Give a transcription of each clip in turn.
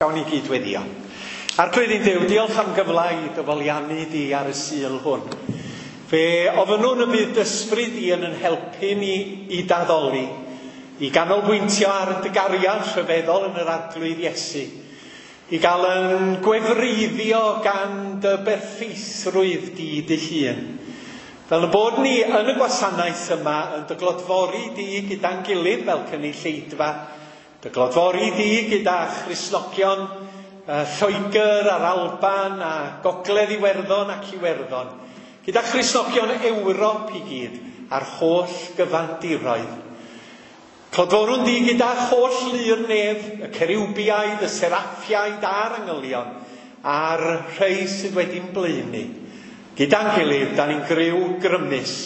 Gawn ni gyd weddio. Arglwydd ein Duw, diolch am gyfle i dy foliannu di ar y Sul hwn. Fe ofynnwn y bydd dy ysbryd di yn yn helpu ni i d'addoli, i ganolbwyntio ar dy gariad rhyfeddol yn yr Arglwydd Iesu, i gael yn gwefreiddio gan dy berffeithrwydd di dy hun. Fel y bod ni yn y gwasanaeth yma yn dy glodfori di gyda'n gilydd fel cynulleidfa, Dy glodfori di gyda Christnogion Lloegr a'r Alban a Gogledd Iwerddon ac Iwerddon, gyda Christnogion Ewrop i gyd a'r holl gyfandiroedd. Clodforwn di gyda holl lu'r nef, y ceriwbiaid, y seraffiaid a'r angylion, a'r rhai sydd wedi'n blaenu. Gyda'n gilydd, da ni'n griw grymus,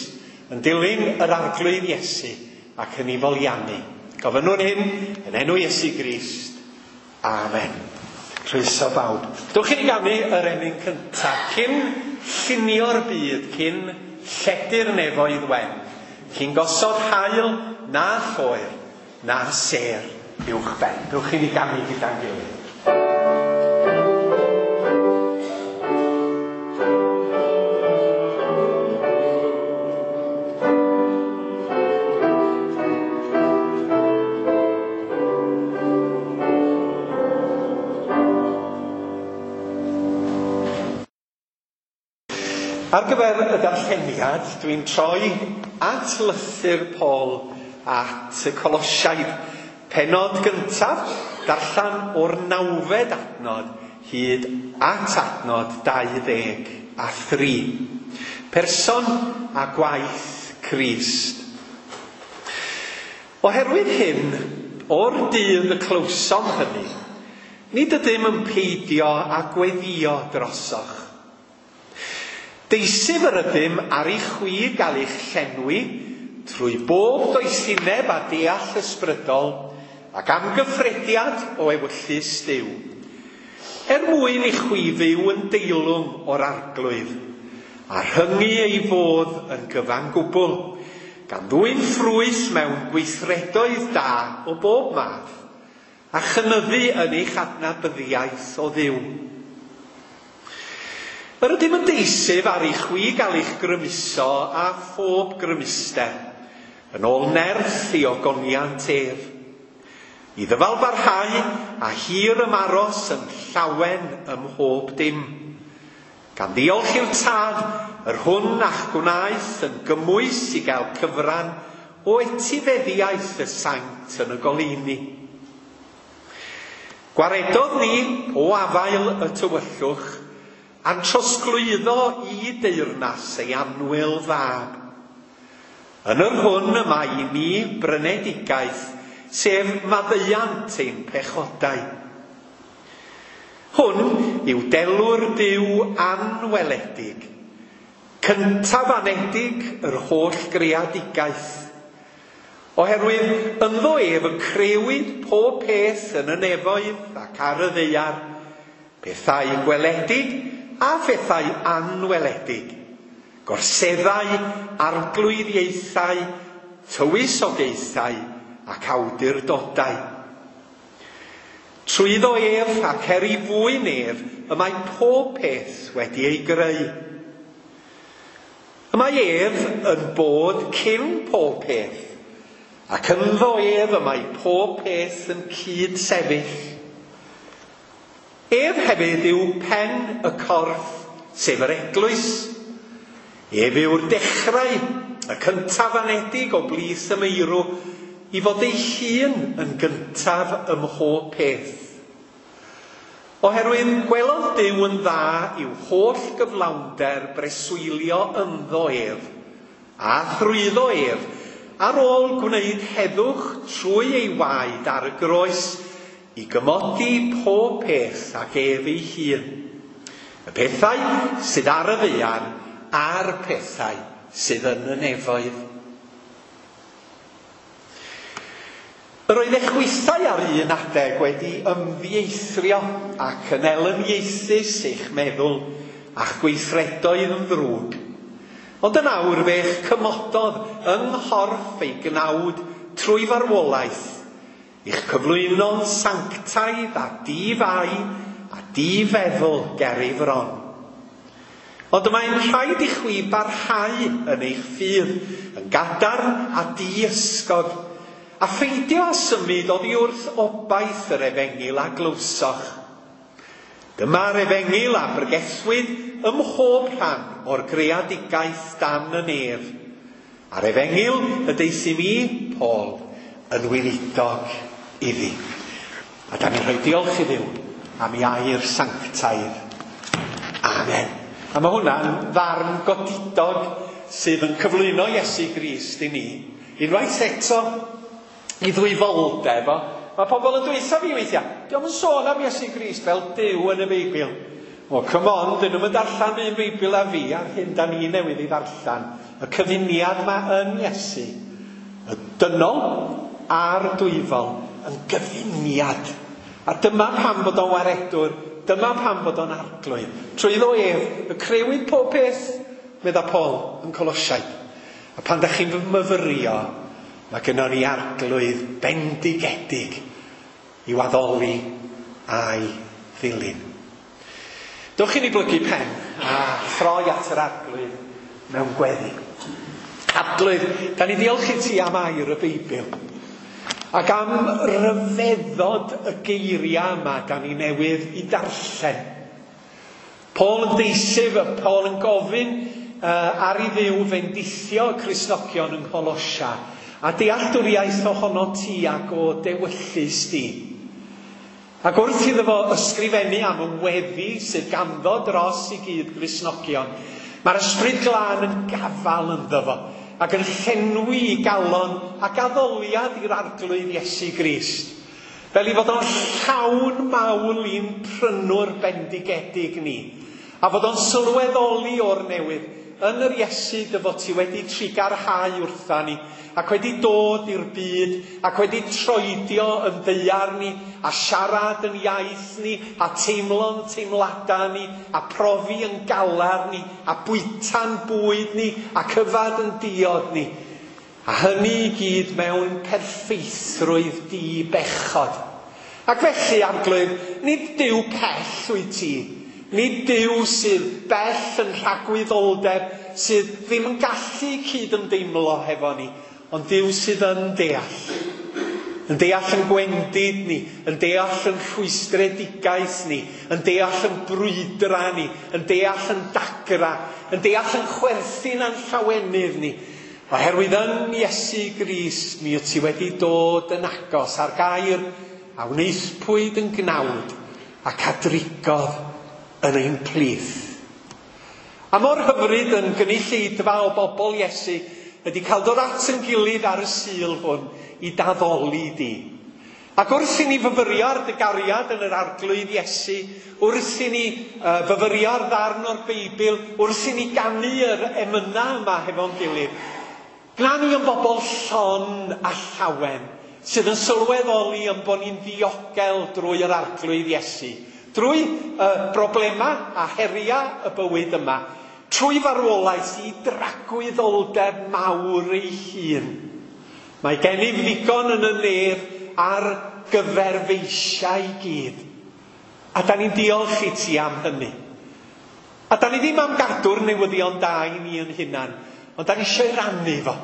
yn dilyn yr Arglwydd Iesu ac yn ei foliannu. Gofynnwn hyn yn enw Iesu Grist. Amen. Croeso bawb. Dwch i ni ganu yr emyn cyntaf. Cyn llunio'r byd, cyn lledu'r nefoedd wen, cyn gosod haul na lloer, na sêr uwchben. Dwch i ni ganu gyda'n gilydd. Ar gyfer y darlleniad, dwi'n troi at lythyr Paul at y Colosiaid. Pennod gyntaf, darllen o'r nawfed adnod hyd at adnod 23. Person a gwaith Crist. Oherwydd hyn, o'r dydd y clywsom hynny, nid ydym yn peidio â gweddïo drosoch. Deisyf yr ydym ar i chwi gael eich llenwi trwy bob doethineb a deall ysbrydol ac amgyffrediad o ewyllys Duw, er mwyn i chwi fyw yn deilwng o'r Arglwydd, a rhyngu ei fodd yn gyfan gwbl, gan ddwyn ffrwyth mewn gweithredoedd da o bob math, a chynyddu yn eich adnabyddiaeth o Dduw. Yr ydym yn deisyf ar i chwi gael eich grymuso a phob grymuster, yn ôl nerth ei ogoniant ef, i ddyfal barhau a hir ymaros yn llawen ym mhob dim, gan ddiolch i'r Tad, yr hwn a'ch gwnaeth yn gymwys i gael cyfran o etifeddiaeth y saint yn y goleuni. Gwaredodd ni o afael y tywyllwch a'n trosglwyddo i deyrnas ei annwyl fab. Yn yr hwn y mae i ni brynedigaeth, sef maddeuant ein pechodau. Hwn yw delw'r Duw anweledig, cyntaf anedig yr holl greadigaeth. Oherwydd ynddo ef y crëwyd pob peth yn y nefoedd ac ar y ddaear, pethau gweledig a phethau anweledig, gorseddau, arglwyddiaethau, tywysogaethau ac awdurdodau. Trwyddo ef ac er ei fwyn ef y mae pob peth wedi ei greu. Y mae ef yn bod cyn pob peth, ac ynddo ef y mae pob peth yn cyd-sefyll. Ef hefyd yw pen y corff, sef yr eglwys. Ef yw'r dechrau, y cyntaf anedig o blith y meirw, i fod ei hun yn gyntaf ym mhob peth. Oherwydd gwelodd Duw yn dda i'w holl gyflawnder breswylio ynddo ef, a thrwyddo ef, ar ôl gwneud heddwch trwy ei waed ar y groes, i gymodi pob peth ag ef ei hun. Y pethau sydd ar y ddaear a'r pethau sydd yn y nefoedd. Yr oedd eich chwithau ar un adeg wedi ymddieithrio ac yn elyniaethus eich meddwl a'ch gweithredoedd yn ddrwg. Ond yn awr fe'ch cymododd yng nghorff ei gnawd trwy farwolaeth, I'ch cyflwyno'n sanctaidd a di-fai a di-feddwl ger ei fron. Ond y mae'n rhaid i chwi barhau yn eich ffydd, yn gadarn a di-ysgog, a pheidio â symud oddi wrth obaith yr efengyl a glywsoch. Dyma'r efengyl a bregethwyd ym mhob rhan o'r greadigaeth dan y nef. A'r efengyl y deuthum i, Paul, yn weinidog iddi. A da ni'n rhoi diolch i Dduw am ei air sanctaidd. Amen. A mae hwnna'n ddarn godidog sydd yn cyflwyno Iesu Grist i ni. Unwaith eto, i ddwyfoldeb o. Mae pobl yn dweutha fi weithiau, diolch yn sôn am Iesu Grist fel Duw yn y Beibl. O, come on, dyn nhw'n darllen un Beibl a fi a'r hyn da ni newydd ei ddarllen. Y cyfuniad ma yn Iesu, y dynol a'r dwyfol, yn gyfuniad. A dyma pam bod o'n waredwr, dyma pam bod o'n arglwydd. Trwyddo ef, y crewyd pob peth, medda Paul yn Colosiaid. A pan da chi'n myfyrio, mae gynnon ni arglwydd bendigedig i waddoli a'i ddilyn. Dewch i ni blygu pen a throi at yr arglwydd mewn gweddi. Arglwydd, da ni ddiolch i ti am air y Beibl. Ac am ryfeddod y geiriau yma da ni newydd i darllen. Paul yn deisyf, Paul yn gofyn ar i Dduw fendithio y Cristnogion yng Ngholosia a dealltwriaeth ohono ti ac o dewyllys di. Ac wrth iddo fo ysgrifennu am y weddi sydd ganddo dros i gyd Gristnogion, mae'r ysbryd glân yn gafal ynddo fo ac yn llenwi i galon ac addoliad i'r arglwydd Iesu Grist. Fel i fod o'n llawn mawl i'n prynwr bendigedig ni, a fod o'n sylweddoli o'r newydd yn yr Iesu dy fod ti wedi trigarhau wrtha ni, ac wedi dod i'r byd, ac wedi troedio yn ddaear ni, a siarad yn iaith ni, a teimlo'n teimladau ni, a profi yn galar ni, a bwyta'n bwyd ni, a cyfad yn diod ni. A hynny i gyd mewn perffeithrwydd di-bechod. Ac felly, Arglwydd, nid Duw pell wyt ti. Nid Duw sydd bell yn rhagwyddoldeb, sydd ddim yn gallu cyd-ymdeimlo hefo ni, ond Duw sydd yn deall. Yn deall yn gwendid ni, yn deall yn rhwystredigaeth ni, yn deall yn brwydra ni, yn deall yn dagra, yn deall yn chwerthin a'n llawenydd ni. Oherwydd yn Iesu Grist mi wyt ti wedi dod yn agos ar gair a wnaethpwyd yn gnawd ac a drigodd yn ein plith. A mor hyfryd yn gynulleidfa o bobl Iesu ydy cael dod at yn gilydd ar y Sul hwn i daddoli di. Ac wrth i ni fyfyrio ar dy gariad yn yr arglwydd Iesu, wrth i ni fyfyrio ar ddarn o'r Beibl, wrth i ni ganu yr emynau yma hefo'n gilydd, gwna ni yn bobl llon a llawen, sydd yn sylweddoli yn bod ni'n ddiogel drwy yr arglwydd Iesu, drwy broblemau a heriau y bywyd yma, trwy farwolaeth i dragwyddoldeb mawr ei hun. Mae gennyf ddigon yn y nef ar gyfer feisiau i gyd. A da ni'n diolch i ti am hynny. A da ni ddim am gadw'r newyddion da i ni yn hunan, ond da ni eisiau rannu fo.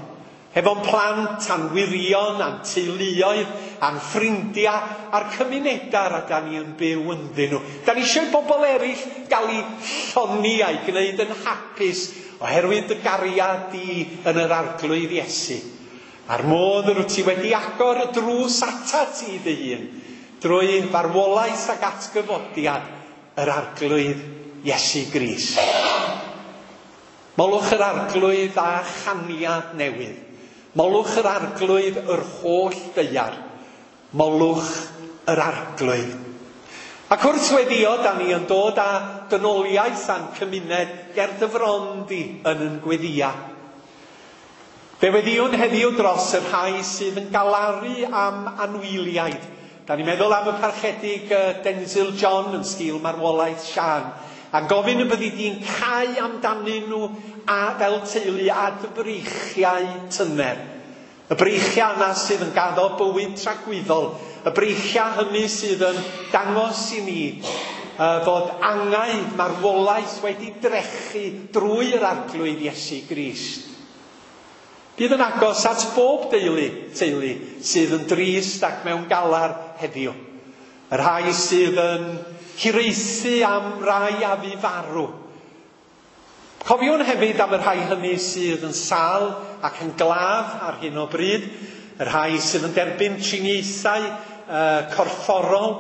Hefo'n plant, a'n wyrion, a'n teuluoedd, a'n ffrindiau, a'r cymunedau a da ni yn byw ynddyn nhw. Da ni eisiau bobl eraill gael eu llonni a'i gwneud yn hapus oherwydd dy gariad di yn yr arglwydd Iesu. A'r modd yr wyt ti wedi agor y drws atat ti dy hun, drwy farwolaeth ac atgyfodiad yr arglwydd Iesu Grist. Molwch yr arglwydd a chaniad newydd. Molwch yr arglwydd yr holl ddaear. Molwch yr arglwydd. Ac wrth weddio, da ni yn dod â dynoliaeth a'n cymuned ger dy fron di yn yn gweddia. Fe weddiwn heddiw dros y rhai sydd yn galaru am anwyliaid. Da ni'n meddwl am y parchedig Denzil John yn sgil marwolaeth Sian, a'n gofyn y byddi di'n cau amdanyn nhw a fel teulu a dy breichiau tyner. Y breichiau yna sydd yn gaddo bywyd tragwyddol Y breichiau hynny sydd yn dangos i ni fod angau marwolaeth wedi drechu drwy yr Arglwydd Iesu Grist. Bydd yn agos at bob deulu, teulu sydd yn drist ac mewn galar heddiw. Y rhai sydd yn hiraethu am rai a fu farw. Cofiwn hefyd am y rhai hynny sydd yn sâl ac yn glaf ar hyn o bryd, y rhai sydd yn derbyn triniaethau corfforol,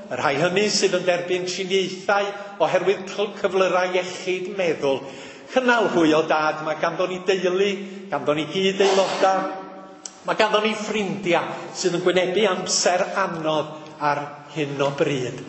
y rhai hynny sydd yn derbyn triniaethau oherwydd cyflyrau iechyd meddwl. Cynnal hwy o dad, mae ganddo ni deulu, ganddo ni gyd aelodau, mae ganddo ni ffrindiau sydd yn gwynebu amser anodd ar hyn o bryd.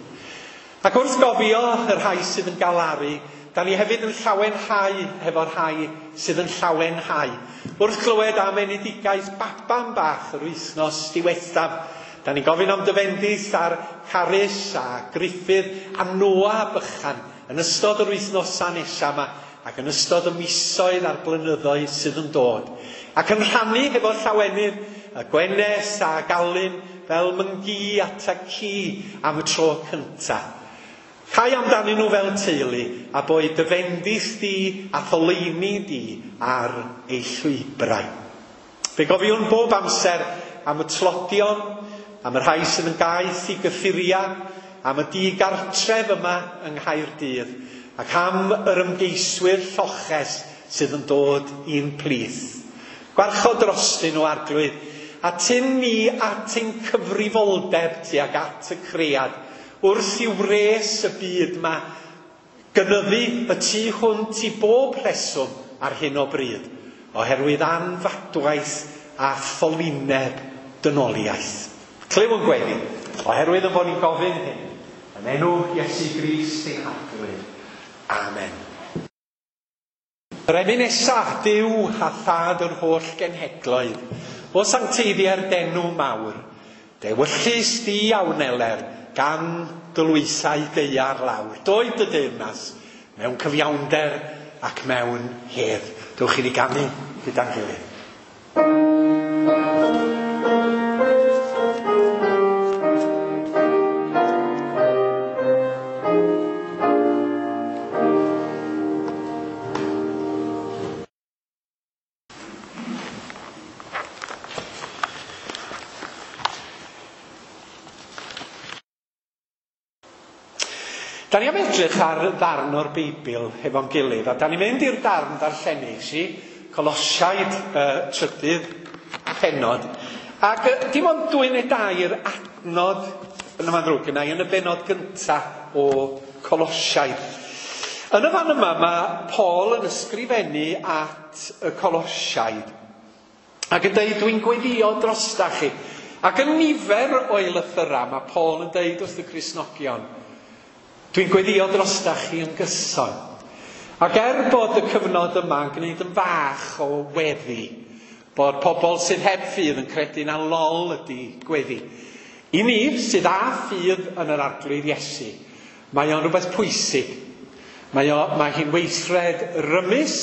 Ac wrth gofio y rhai sydd yn galaru, da ni hefyd yn llawenhau hefo'r rhai sydd yn llawenhau. Wrth clywed am enedigaeth baban bach yr wythnos diwethaf, da ni'n gofyn am dy fendith ar Carys a Gruffydd a Noa bychan yn ystod yr wythnosau nesaf yma ac yn ystod y misoedd a'r blynyddoedd sydd yn dod. Ac yn rhannu hefo llawenydd y Gwennes a Galun fel myngi at a ci am y tro cyntaf. Cai amdanyn nhw fel teulu a boed dy fendith di a tholeini di ar eu llwybrau. Fe gofiwn bob amser am y tlodion, am y rhai sydd yn gaeth i gyffuriau, am y digartref yma yng Nghaerdydd, ac am yr ymgeiswyr lloches sydd yn dod i'n plith. Gwarchod drostyn nhw, Arglwydd, a tyn ni at ein cyfrifoldeb tuag at y cread, wrth i wres y byd yma gynyddu y tu hwnt i bob rheswm ar hyn o bryd, oherwydd anfadwaith a ffolineb dynoliaeth. Clyw yn gweddi, oherwydd yn bod ni'n gofyn hyn, yn enw Iesu Grist ein Harglwydd. Amen. Yr emyn nesaf, Duw a thad yr holl genhedloedd, o sancteiddiau'r denw mawr, dewyllys di a wneler, gan dylwysau daear lawr. Doed dy deyrnas mewn cyfiawnder ac mewn hedd. Dewch i ni ganu gyda'n gilydd. Da ni am edrych ar ddarn o'r Beibl hefo'n gilydd, a da ni'n mynd i'r darn darllenis i, Colosiaid trydydd pennod, ac dim ond 2 neu 3 adnod, yn yma'n ddrwg yna, yn y bennod gyntaf o Colosiaid. Yn y fan yma mae Paul yn ysgrifennu at y Colosiaid, ac yn dweud, dwi'n gweddio drosta chi. Ac yn nifer o'i lythyrau mae Paul yn dweud wrth y Cristnogion, dwi'n gweddio drosta chi yn gyson. Ac bod y cyfnod yma yn gwneud yn fach o weddi, bod pobl sydd heb ffydd yn credu na lol ydy gweddi. I ni sydd â ffydd yn yr Arglwydd Iesu, mae o'n rhywbeth pwysig. Mae hi'n weithred rymus,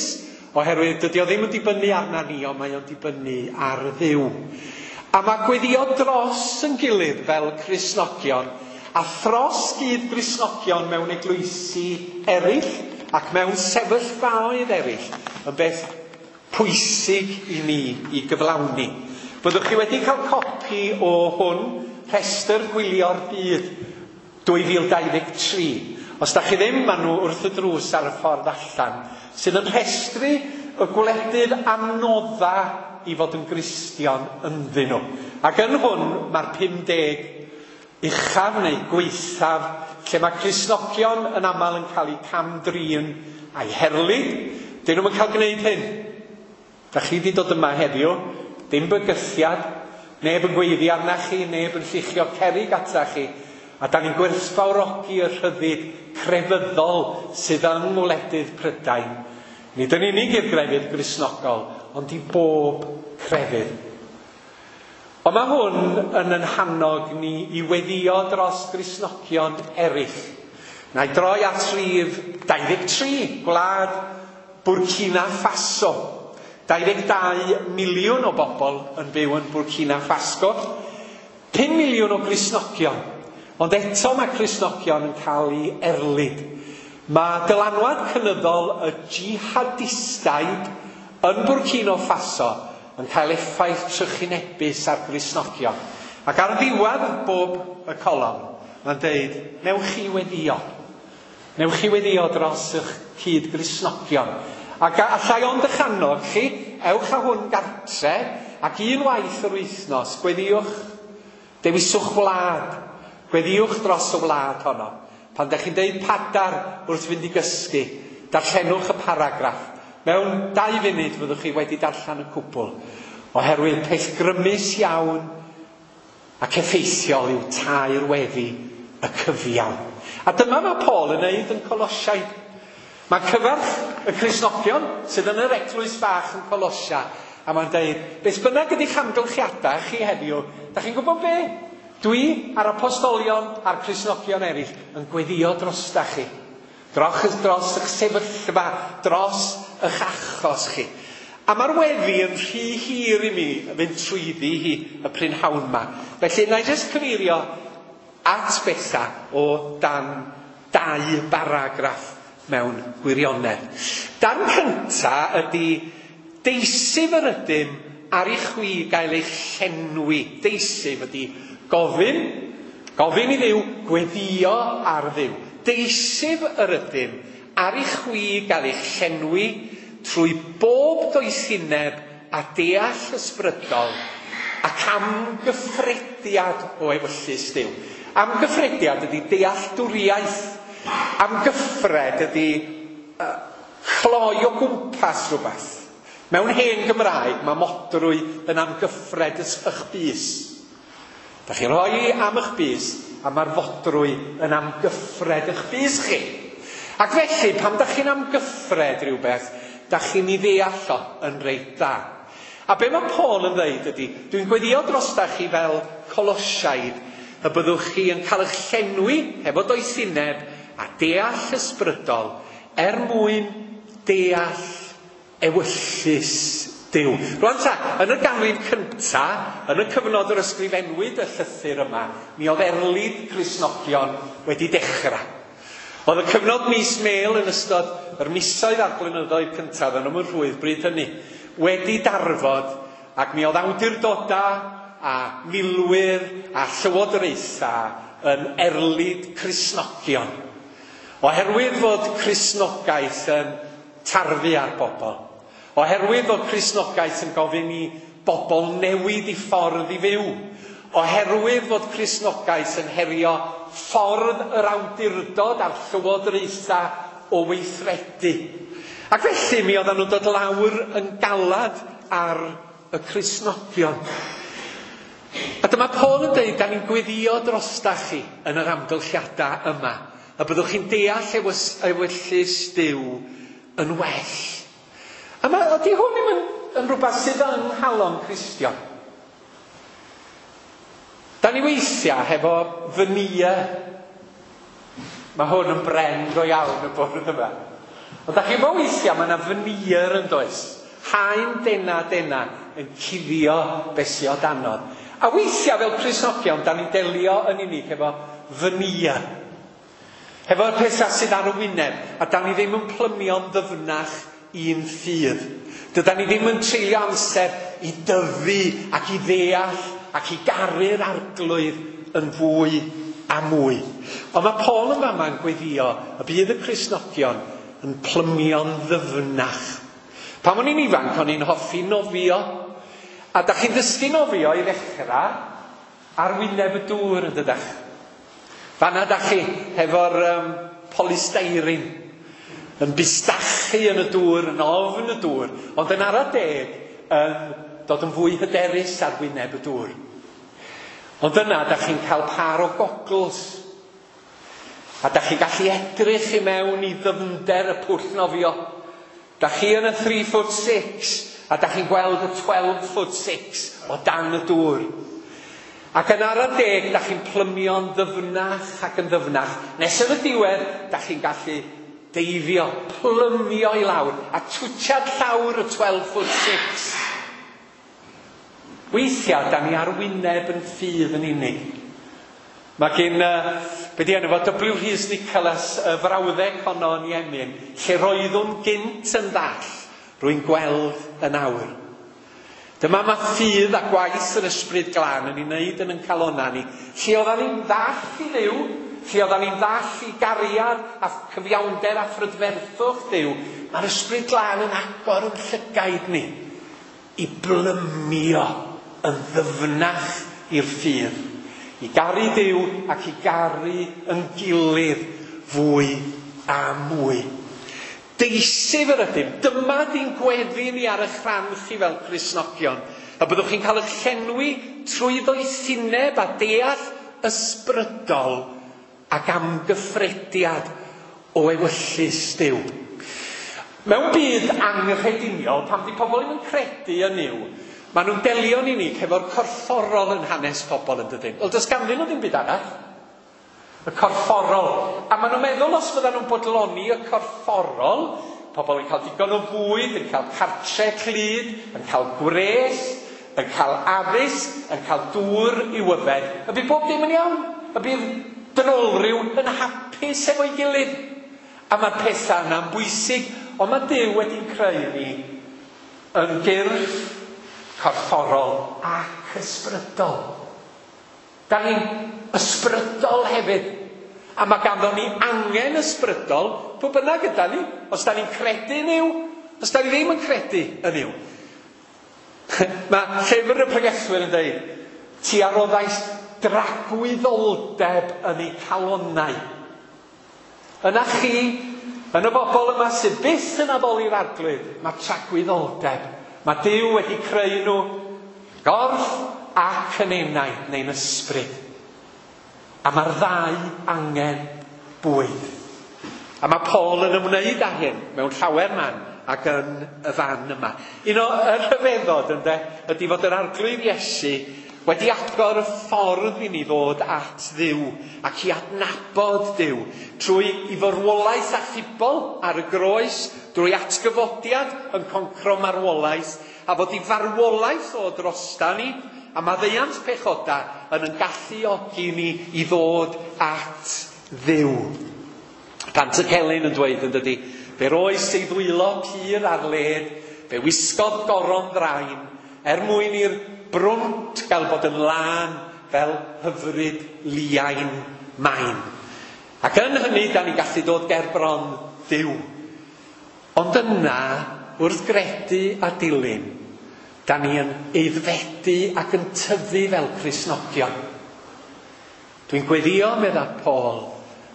oherwydd dydy o ddim yn dibynnu arna ni, ond mae o'n dibynnu ar Dduw. A mae gweddio dros yn gilydd fel Cristnogion, a thros gyd Gristnogion mewn eglwysi eraill ac mewn sefyllfaoedd eraill yn beth pwysig i ni i gyflawni. Byddwch chi wedi cael copi o hwn, rhestr gwylio'r byd 2023. Os da chi ddim, maen nhw wrth y drws ar y ffordd allan, sydd yn rhestru y gwledydd anodda i fod yn Gristion ynddyn nhw. Ac yn hwn mae'r 50 uchaf neu gwaethaf, lle mae Cristnogion yn aml yn cael eu cam-drin a'i herlid. Dyn nhw'n cael gwneud hyn. Da chi wedi dod yma heddiw, dim bygythiad, neb yn gweiddi arna chi, neb yn lluchio cerrig ata chi, a da ni'n gwerthfawrogi y rhyddid crefyddol sydd yng ngwledydd Prydain. Nid yn unig i'r grefydd Gristnogol, ond i bob crefydd. Ond mae hwn yn ein hannog ni i weddio dros Gristnogion eraill. Na i droi at rhif 23, gwlad Burkina Faso. 22 miliwn o bobl yn byw yn Burkina Faso. 5 miliwn o Gristnogion, ond eto mae Cristnogion yn cael ei erlid. Mae dylanwad cynyddol y jihadistaid yn Burkina Faso yn cael effaith trychinebus ar Gristnogion. Ac ar ddiwedd bob y colofn, mae'n deud, newch chi weddio. Newch chi weddio dros eich cyd Gristnogion. Ac allai ond eich annog chi, ewch â hwn gartre, ac un waith yr wythnos, gweddiwch, dewiswch wlad, gweddiwch dros y wlad honno. Pan ydych chi'n deud padar wrth fynd i gysgu, darllenwch y paragraff. Mewn 2 funud fyddwch chi wedi darllen y cwbl, oherwydd peth grymus iawn ac effeithiol yw tair weddi y cyfiawn. A dyma mae Paul yn neud yn Colosiaid. Mae cyfarch y Cristnogion sydd yn yr eglwys fach yn Colosia, a mae'n deud, beth bynnag ydy'ch amgylchiadau chi heddiw, da chi'n gwybod be? Dwi a'r apostolion a'r Cristnogion eraill yn gweddio drosta chi. Dros eich sefyllfa, dros eich achos chi. A mae'r weddi yn rhy hir i mi fynd trwyddi hi y prynhawn yma. Felly, na i jyst cyfeirio at bethau o dan 2 baragraff mewn gwirionedd. Dan cynta ydy deisyf yr ydym ar i chwi gael eich llenwi. Deisyf ydy gofyn, gofyn i Dduw, gweddio ar Dduw. Deisyf yr ydym ar i chwi gael eich llenwi trwy bob doethineb a deall ysbrydol ac amgyffrediad o ewyllys Duw. Amgyffrediad ydy dealltwriaeth. Amgyffred ydy cloi o gwmpas rhywbeth. Mewn hen Gymraeg mae modrwy yn amgyffred eich bys. Da chi'n rhoi am eich bys a mae'r fodrwy yn amgyffred eich bys chi. Ac felly, pan da chi'n amgyffred rhywbeth, da chi'n ei ddeall o yn reit dda. A be mae Paul yn dweud ydy, dwi'n gweddio drosta chi fel Colosiaid, y byddwch chi yn cael eich llenwi hefo doethineb a deall ysbrydol er mwyn deall ewyllys Duw. Rwan ta, yn y ganrif cynta, yn y cyfnod yr ysgrifennwyd y llythyr yma, mi oedd erlid Cristnogion wedi dechrau. Oedd y cyfnod mis Mel yn ystod yr misoedd a'r blynyddoedd cyntaf yn ymwrhwydd bryd hynny wedi darfod, ac mi oedd awdurdodau a milwyr a llywodraethau yn erlid Cristnogion. Oherwydd fod Cristnogaeth yn tarfu ar bobl. Oherwydd fod Cristnogaeth yn gofyn i bobl newid i ffordd i fyw. Oherwydd fod Cristnogaeth yn herio ffordd yr awdurdod a'r llywodraethau o weithredu. Ac felly mi oedden nhw'n dod lawr yn galad ar y Cristnogion. A dyma Paul yn dweud, da ni'n gweddio drosta chi yn yr amgylchiadau yma, a byddwch chi'n deall ewyllys Duw yn well. A mae, ydy hwn ddim yn rhywbeth sydd yng nghalon Cristion. Da ni weithiau hefo veneer. Mae hwn yn bren go iawn y bwrdd yma. Ond da chi'n gwybod weithiau mae yna veneer yn does. Haen dena dena yn cuddio beth sydd o danodd. A weithiau fel Cristnogion, da ni'n delio yn unig efo veneer. Hefo'r pethau sydd ar y wyneb, a da ni ddim yn plymio'n ddyfnach i'n ffydd. Dydan ni ddim yn treulio amser i dyfu ac i ddeall ac i garu'r arglwydd yn fwy a mwy. Ond mae Paul yn fama yn gweddio y bydd y Cristnogion yn plymio'n ddyfnach. Pan o'n i'n ifanc, o'n i'n hoffi nofio. A da chi'n dysgu nofio i ddechrau ar wyneb y dŵr yn dydach. Fanna da chi hefo'r polystyrene yn bustachu yn y dŵr, yn ofn y dŵr, ond yn ara deg yn dod yn fwy hyderus ar wyneb y dŵr. Ond yna da chi'n cael par o goggles. A da chi'n gallu edrych i mewn i ddyfnder y pwll nofio. Da chi yn y 3'6" a da chi'n gweld y 12'6" o dan y dŵr. Ac yn ara deg, da chi'n plymio'n ddyfnach ac yn ddyfnach. Nes yn y diwedd, da chi'n gallu deifio, plymio i lawr, a twtsiad llawr y 12'6". Weithiau, da ni ar wyneb yn ffydd yn unig. Mae gen, be di enw fo, W. Rhys Nicholas, y frawddeg honno yn Iemin, lle roeddwn gynt yn ddall, rwy'n gweld yn awr. Dyma mae ffydd a gwaith yr ysbryd glân yn ei wneud yn ein calonnau ni. Lle oeddan ni'n ddall i Dduw, lle oeddan ni'n ddall i gariad a cyfiawnder a phrydferthwch Duw, mae'r ysbryd glân yn agor yn llygaid ni i blymio yn ddyfnach i'r ffydd. I garu Duw ac i garu yn gilydd fwy a mwy. Deisif yr ydym. Dyma di'n gweddi ni ar eich rhan chi fel Cristnogion. A byddwch chi'n cael eich llenwi trwy ddoethineb a deall ysbrydol ac amgyffrediad o ewyllys Duw. Mewn byd anghrediniol, pan di pobl ddim yn credu yn Nuw, maen nhw'n delio'n unig hefo'r corfforol yn hanes pobl yn dydyn. Wel, does ganddyn nhw ddim byd arall. Y corfforol. A maen nhw'n meddwl os fyddan nhw'n bodloni y corfforol, pobl yn cael digon o fwyd, yn cael cartre clyd, yn cael gwres, yn cael addysg, yn cael dŵr i'w yfed, y bydd bob dim yn iawn. Y bydd dynolryw yn hapus efo'i gilydd. A mae'r pethau yna'n bwysig, ond mae Duw wedi'n creu ni yn gyrff corfforol ac ysbrydol. Da ni'n ysbrydol hefyd. A mae ganddo ni angen ysbrydol, pwy bynnag yda ni, os da ni'n credu yn Nuw, os da ni ddim yn credu yn Nuw. Mae llyfr y pregethwyr yn dweud, ti a roddais dragwyddoldeb yn eu calonnau. Yna chi, yn y bobl yma sydd byth yn addoli'r Arglwydd, mae tragwyddoldeb. Mae Duw wedi creu nhw gorff ac yn enaid neu'n ysbryd. A mae'r ddau angen bwyd. A mae Paul yn ymwneud â hyn mewn llawer man ac yn y fan yma. Un o'r rhyfeddod ynde, ydy fod yr Arglwydd Iesu wedi agor y ffordd i ni ddod at Dduw ac i adnabod Duw trwy i farwolaeth achubol ar y groes, drwy atgyfodiad yn concro marwolaeth, a fod i farwolaeth o drosta ni, a maddeuant pechoda yn yn galluogi ni i ddod at Dduw. Pant y Celyn yn dweud yn dydy, fe roes ei ddwylo pur ar led, fe wisgodd goron ddrain, er mwyn i'r brwnt gael bod yn lân fel hyfryd liain main. Ac yn hynny, da ni'n gallu dod ger bron Dduw. Ond yna, wrth gredu a dilyn, da ni yn aeddfedu ac yn tyfu fel Cristnogion. Dwi'n gweddio, medda Paul,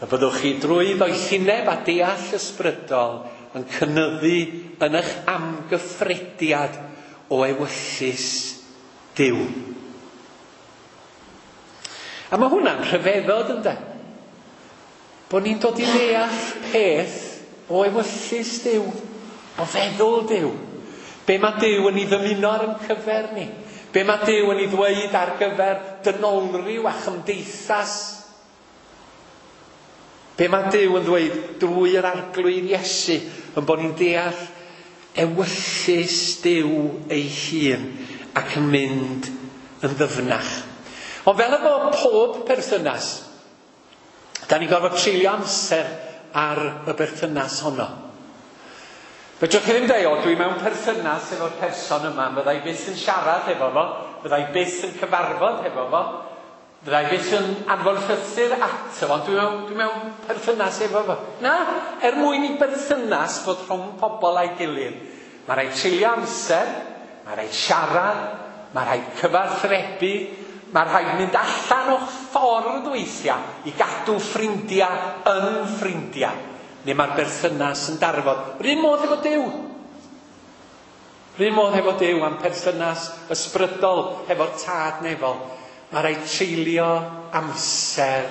y byddwch chi drwy ddoethineb a deall ysbrydol yn cynyddu yn eich amgyffrediad o ewyllys Duw. A mae hwnna'n rhyfeddod ynde? Bod ni'n dod i ddeall peth o ewyllys Duw, o feddwl Duw. Be mae Duw yn ei ddymuno ar ein cyfer ni? Be mae Duw yn ei ddweud ar gyfer dynolryw a chymdeithas? Be mae Duw yn ddweud drwy yr Arglwydd Iesu yn bod ni'n deall ewyllys Duw ei hun ac yn mynd yn ddyfnach. Ond fel efo pob perthynas, da ni'n gorfod treulio amser ar y berthynas honno. Fedrwch chi ddim dweud, o, dwi mewn perthynas efo'r person yma, fydda i byth yn siarad efo fo, fydda i byth yn cyfarfod efo fo, fydda i byth yn anfon llythyr ato fo, ond dwi mewn perthynas efo fo. Na, er mwyn i berthynas fod rhwng pobl a'i gilydd, mae rhaid treulio amser, mae rhaid siarad, mae rhaid cyfathrebu, mae rhaid mynd allan o'ch ffordd weithiau i gadw ffrindiau yn ffrindiau. Neu mae'r berthynas yn darfod. R'un modd efo Duw. R'un modd efo Duw am perthynas ysbrydol hefo'r Tad nefol. Mae rhaid treulio amser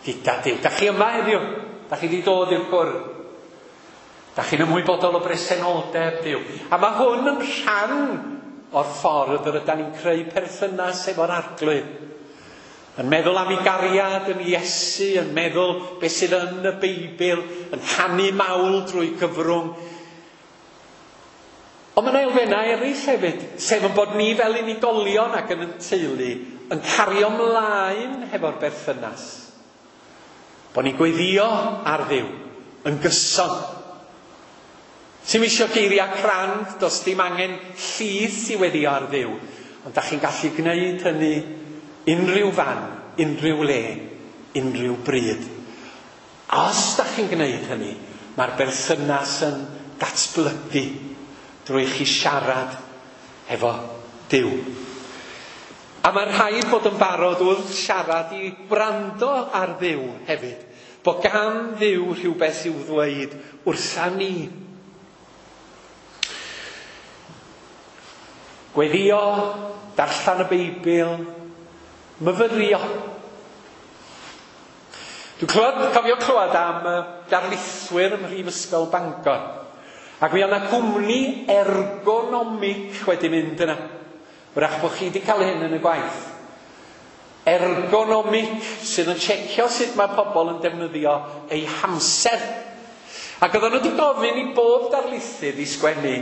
gyda Duw. Da chi yma heddiw? Da chi wedi dod i'r cwrdd? Da chi'n ymwybodol o bresenoldeb Duw? A mae hwn yn rhan o'r ffordd yr ydan ni'n creu perthynas efo'r Arglwydd. Yn meddwl am ei gariad yn Iesu, yn meddwl beth sydd yn y Beibl, yn canu mawl drwy gyfrwng Ond mae yna elfennau eraill hefyd, sef yn bod ni fel unigolion ac yn y teulu yn cario ymlaen hefo'r berthynas. Bod ni'n gweddïo ar Dduw yn gyson. Sy'm isio geiriau crand, does dim angen llys i weddio ar Dduw, ond da chi'n gallu gwneud hynny unrhyw fan, unrhyw le, unrhyw bryd. Os da chi'n gwneud hynny, mae'r berthynas yn datblygu drwy chi siarad efo Duw. A mae rhaid bod yn barod wrth siarad i wrando ar Dduw hefyd. Bod gan Dduw rhywbeth i'w ddweud wrtha ni. Gweddio, darllen y Beibl, myfyrio. Dwi'n clywed, cofio clywed am y darlithwyr ym Mhrifysgol Bangor. Ac mi oedd yna gwmni ergonomic wedi mynd yna. Wrach bod chi wedi cael hyn yn y gwaith. Ergonomic sydd yn checio sut mae pobl yn defnyddio eu hamser. Ac oedden nhw wedi gofyn i bob darlithydd i sgwennu,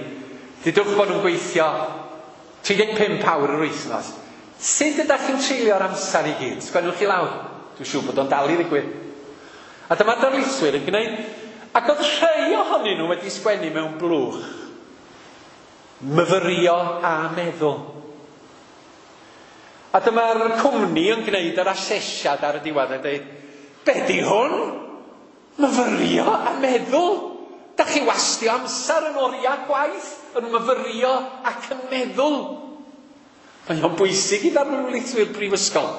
dudwch bod nhw'n gweithio 35 awr yr wythnos. Sut ydych chi'n treulio'r amser i gyd? Sgwennwch chi lawr. Dwi'n siŵr bod o'n dal i ddigwydd. A dyma darlithwyr yn gwneud. Ac oedd rhai ohonyn nhw wedi sgwennu mewn blwch. Myfyrio a meddwl. A dyma'r cwmni yn gwneud yr asesiad ar y diwedd yn dweud, be di hwn? Myfyrio a meddwl? Da chi wastio amser yn oriau gwaith yn myfyrio ac yn meddwl. Mae o'n bwysig i ddarlithwyr brifysgol,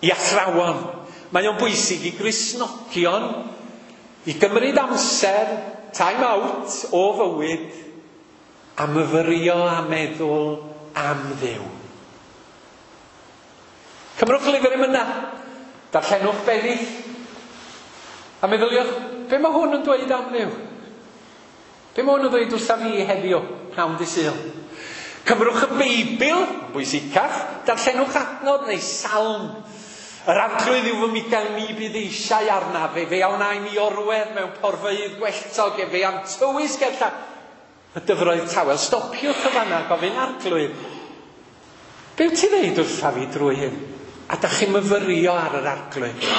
i athrawon. Mae o'n bwysig i Gristnogion i gymryd amser, time out o fywyd, a myfyrio a meddwl am Dduw. Cymrwch lyfr emyna, darllenwch bennill, a meddyliwch, be mae hwn yn dweud am Dduw? Be mae hwn yn dweud wrtha fi heddiw, pnawn dy Sul? Cymrwch y Beibl, yn bwysicach, darllenwch adnod neu salm. Yr Arglwydd yw fy migael, ni bydd eisiau arnaf. Fe a wna i mi orwedd mewn porfeydd gwelltog, efe a'm tywys gerllaw y dyfroedd tawel. Stopiwch y fanna, gofyn Arglwydd, be wyt ti ddeud wrtha fi drwy hyn? A da chi'n myfyrio ar yr Arglwydd.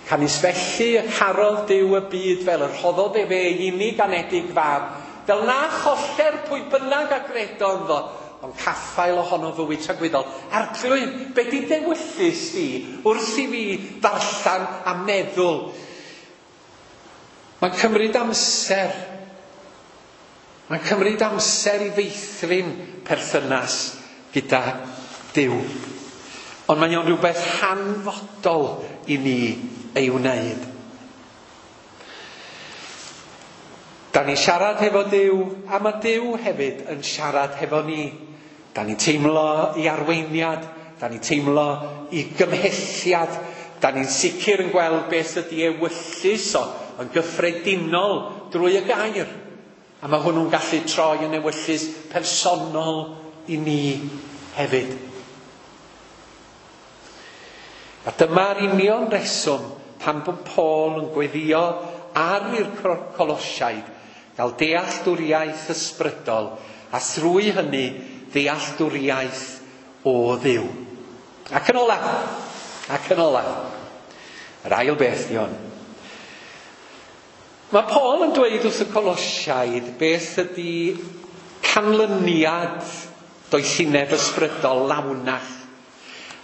Canys felly y carodd Duw y byd fel yr rhoddodd efe ei unig anedig fab, fel na choller pwy bynnag a gredo ynddo, ond caffael ohono fywyd tragwyddol. Arglwydd, be di dewyllys di wrth i fi ddarllen a meddwl? Mae'n cymryd amser. Mae'n cymryd amser i feithrin perthynas gyda Duw. Ond mae o'n rhywbeth hanfodol i ni ei wneud. Da ni'n siarad hefo Duw, a mae Duw hefyd yn siarad hefo ni. Da ni'n teimlo i arweiniad, da ni'n teimlo i gymhelliad, da ni'n sicr yn gweld beth ydy ewyllys o yn gyffredinol drwy y gair. A mae hwnnw'n gallu troi yn ewyllys personol i ni hefyd. A dyma'r union reswm pam bod Paul yn gweddio ar i'r Colosiaid gael dealltwriaeth ysbrydol a thrwy hynny dealltwriaeth o Dduw. Ac yn olaf, yr ail beth di hwn. Mae Paul yn dweud wrth y Colosiaid beth ydy canlyniad doethineb ysbrydol lawnach.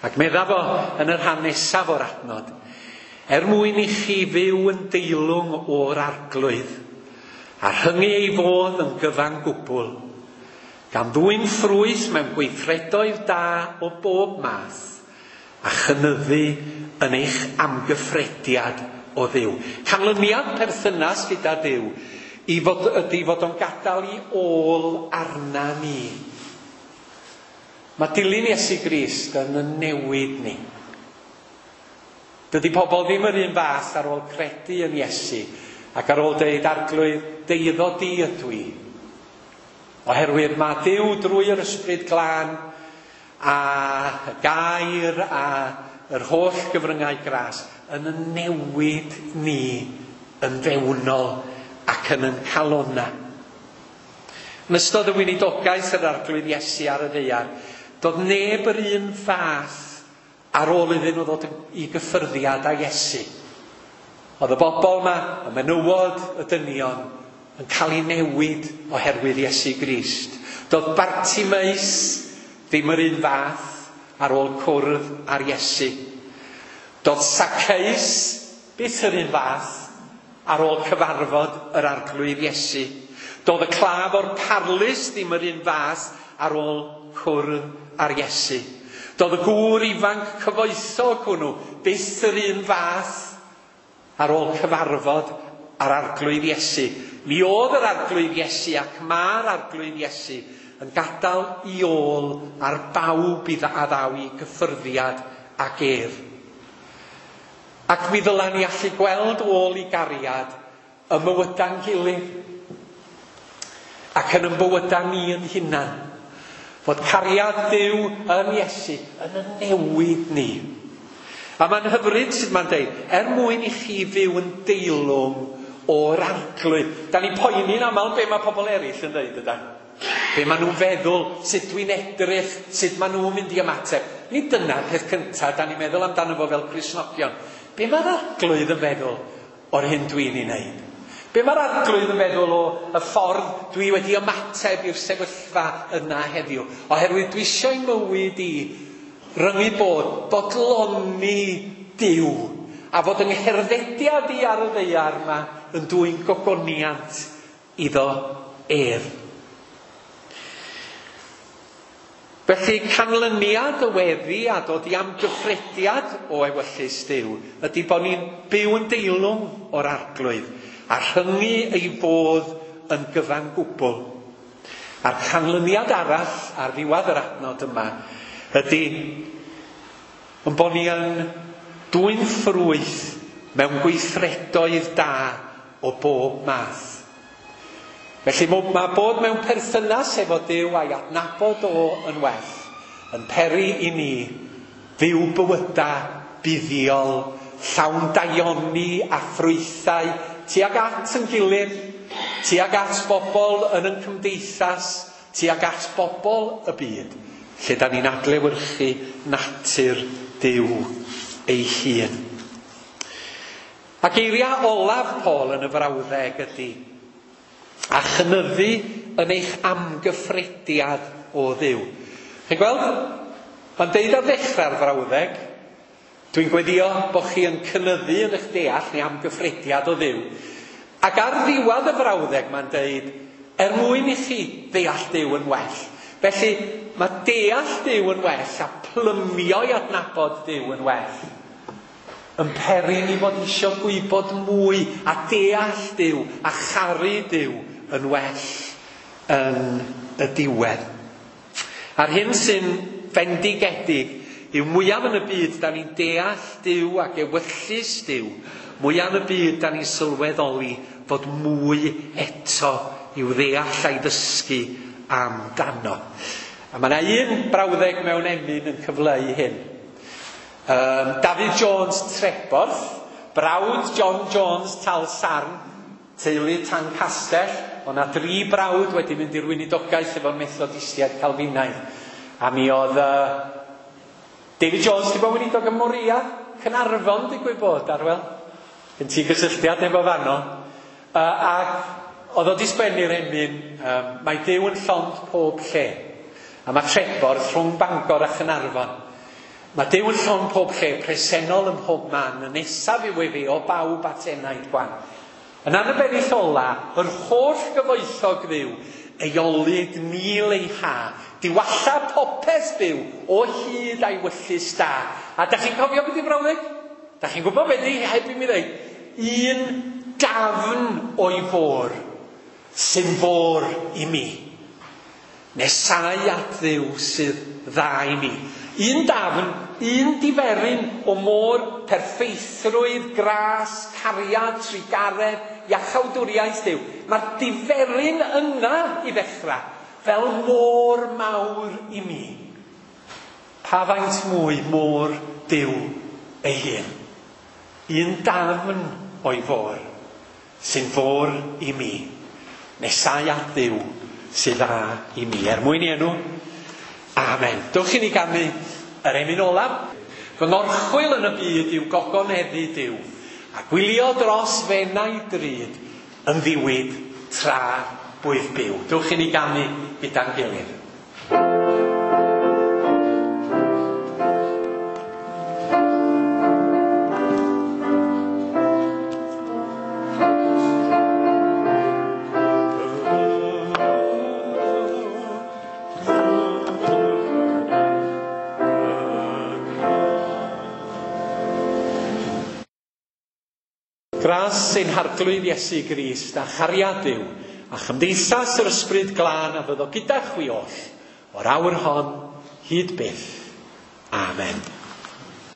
Ac medda fo yn y rhan nesaf o'r adnod, er mwyn i chi fyw yn deilwng o'r Arglwydd, a rhyngu ei fodd yn gyfan gwbl, gan ddwyn ffrwyth mewn gweithredoedd da o bob math, a chynyddu yn eich amgyffrediad o Dduw. Canlyniad perthynas gyda Duw ydy fod o'n gadael i ôl arna ni. Mae dilyn Iesu Grist yn y newid ni. Dydy pobl ddim yr un fath ar ôl credu yn Iesu ac ar ôl deud Arglwydd, deuddo di ydw i. Oherwydd mae Duw drwy yr Ysbryd Glân a y gair a yr holl gyfryngau gras yn y newid ni yn fewnol ac yn yn calona. Yn ystod y weinidogaeth yr Arglwydd Iesu ar y ddaear, doedd neb yr un fath ar ôl iddyn nhw ddod i gyffyrddiad â Iesu. Oedd y bobl yma, y menywod, y dynion, yn cael eu newid oherwydd Iesu Grist. Doedd Bartimeus ddim yr un fath ar ôl cwrdd â'r Iesu. Doedd Zacchaeus byth yr un fath ar ôl cyfarfod yr Arglwydd Iesu. Doedd y claf o'r parlys ddim yr un fath ar ôl cwrdd â'r Iesu. Doedd y gŵr ifanc cyfoethog hwnnw byth yr un fath ar ôl cyfarfod â'r Arglwydd Iesu. Mi oedd yr Arglwydd Iesu ac mae'r Arglwydd Iesu yn gadael i ôl ar bawb i a ddaw i gyffyrddiad ag ef. Ac mi ddylan ni allu gweld ôl i gariad y mywydau'n gilydd ac yn yn bywydau ni yn hunan. Fod cariad Duw yn Iesu yn y newid ni. A mae'n hyfryd sut mae'n deud, er mwyn i chi fyw yn deilwng o'r Arglwydd. Da ni'n poeni'n aml be mae pobl eraill yn dweud, ydan? Be maen nhw'n feddwl, sut dwi'n edrych, sut maen nhw'n mynd i ymateb. Nid dyna'r peth cyntaf da ni'n meddwl amdano fo fel Cristnogion. Be mae'r Arglwydd yn feddwl o'r hyn dwi'n ei wneud? Be mae'r Arglwydd yn feddwl o y ffordd dwi wedi ymateb i'r sefyllfa yna heddiw? Oherwydd dwi eisiau mywyd i ryngu bod, bodloni Duw, a fod yng ngherddediad i ar y ddaear yma yn dwyn gogoniant iddo ef. Felly canlyniad y weddi a dod i amgyffrediad o ewyllys Duw ydy bod ni'n byw yn deilwng o'r Arglwydd a rhyngu ei fodd yn gyfan gwbl. A'r canlyniad arall ar ddiwedd yr adnod yma ydy yn bod ni yn dwyn ffrwyth mewn gweithredoedd da o bob math. Felly mae bod mewn perthynas efo Duw a'i adnabod o yn well yn peri i ni fyw bywydau buddiol, llawn daioni a ffrwythau tuag at yn gilydd, tuag at bobl yn ein cymdeithas, tuag at bobl y byd, lle da ni'n adlewyrchu natur Duw ei hun. A geiriau olaf Paul yn y frawddeg ydy, a chynyddu yn eich amgyffrediad o Dduw. Chi'n gweld? Mae'n deud ar ddechrau'r frawddeg, dwi'n gweddio bod chi yn cynyddu yn eich deall neu amgyffrediad o Dduw. Ac ar ddiwedd y frawddeg mae'n deud, er mwyn i chi ddeall Duw yn well. Felly, mae deall Duw yn well a plymio i adnabod Duw yn well yn peri ni fod eisiau gwybod mwy a deall Duw a charu Duw yn well yn y diwedd. A'r hyn sy'n fendigedig yw mwyaf yn y byd da ni'n deall Duw ac ewyllys Duw, mwyaf yn y byd da ni'n sylweddoli fod mwy eto i'w ddeall a'i ddysgu amdano. A mae yna un brawddeg mewn emyn yn cyfleu hyn. David Jones Treborth, brawd John Jones Talsarn, teulu Tancastell, o na dri brawd wedi mynd i'r weinidogaeth efo'r Methodistiaid Calfinaidd. A mi oedd David Jones di bod weinidog ym Moria, Caernarfon digwydd bod, Arwel. Gen ti gysylltiad efo fanno. Ac oedd o di sgwennu'r emyn, mae Duw yn llond pob lle. A mae Treborth rhwng Bangor a Chaernarfon. Mae Duw yn llond pob lle, presennol ym mhob man, y nesaf yw efe o bawb at enaid gwan. Yn anabennill ola, yr holl gyfoethog Dduw, ei olud mil ei ha, diwalla popeth byw o hyd a'i wyllys da. A da chi'n cofio beth i brawddeg? Da chi'n gwybod beth i heb i mi ddeud? Un dafn o'i fôr sy'n fôr i mi. Nesau at Dduw sydd dda i mi. Un dafn, un diferyn o môr perffeithrwydd, gras, cariad, trugaredd, iachawdwriaeth Duw. Mae'r diferyn yna i ddechrau fel môr mawr i mi. Pa faint mwy môr Duw ei hun? Un dafn o'i fôr sy'n fôr i mi. Nesau at Dduw sydd dda i mi. Er mwyn i enw, amen. Dewch i ni ganu yr emyn olaf. Fy ngorchwyl yn y byd yw gogoneddu Duw, a gwylio dros fenau drud yn ddiwyd tra bwyf byw. Dewch i ni ganu gyda'n gilydd. Gras ein harglwydd Iesu Grist a chariad Duw a chymdeithas yr ysbryd glân a fyddo gyda chwi oll o'r awr hon hyd byth. Amen.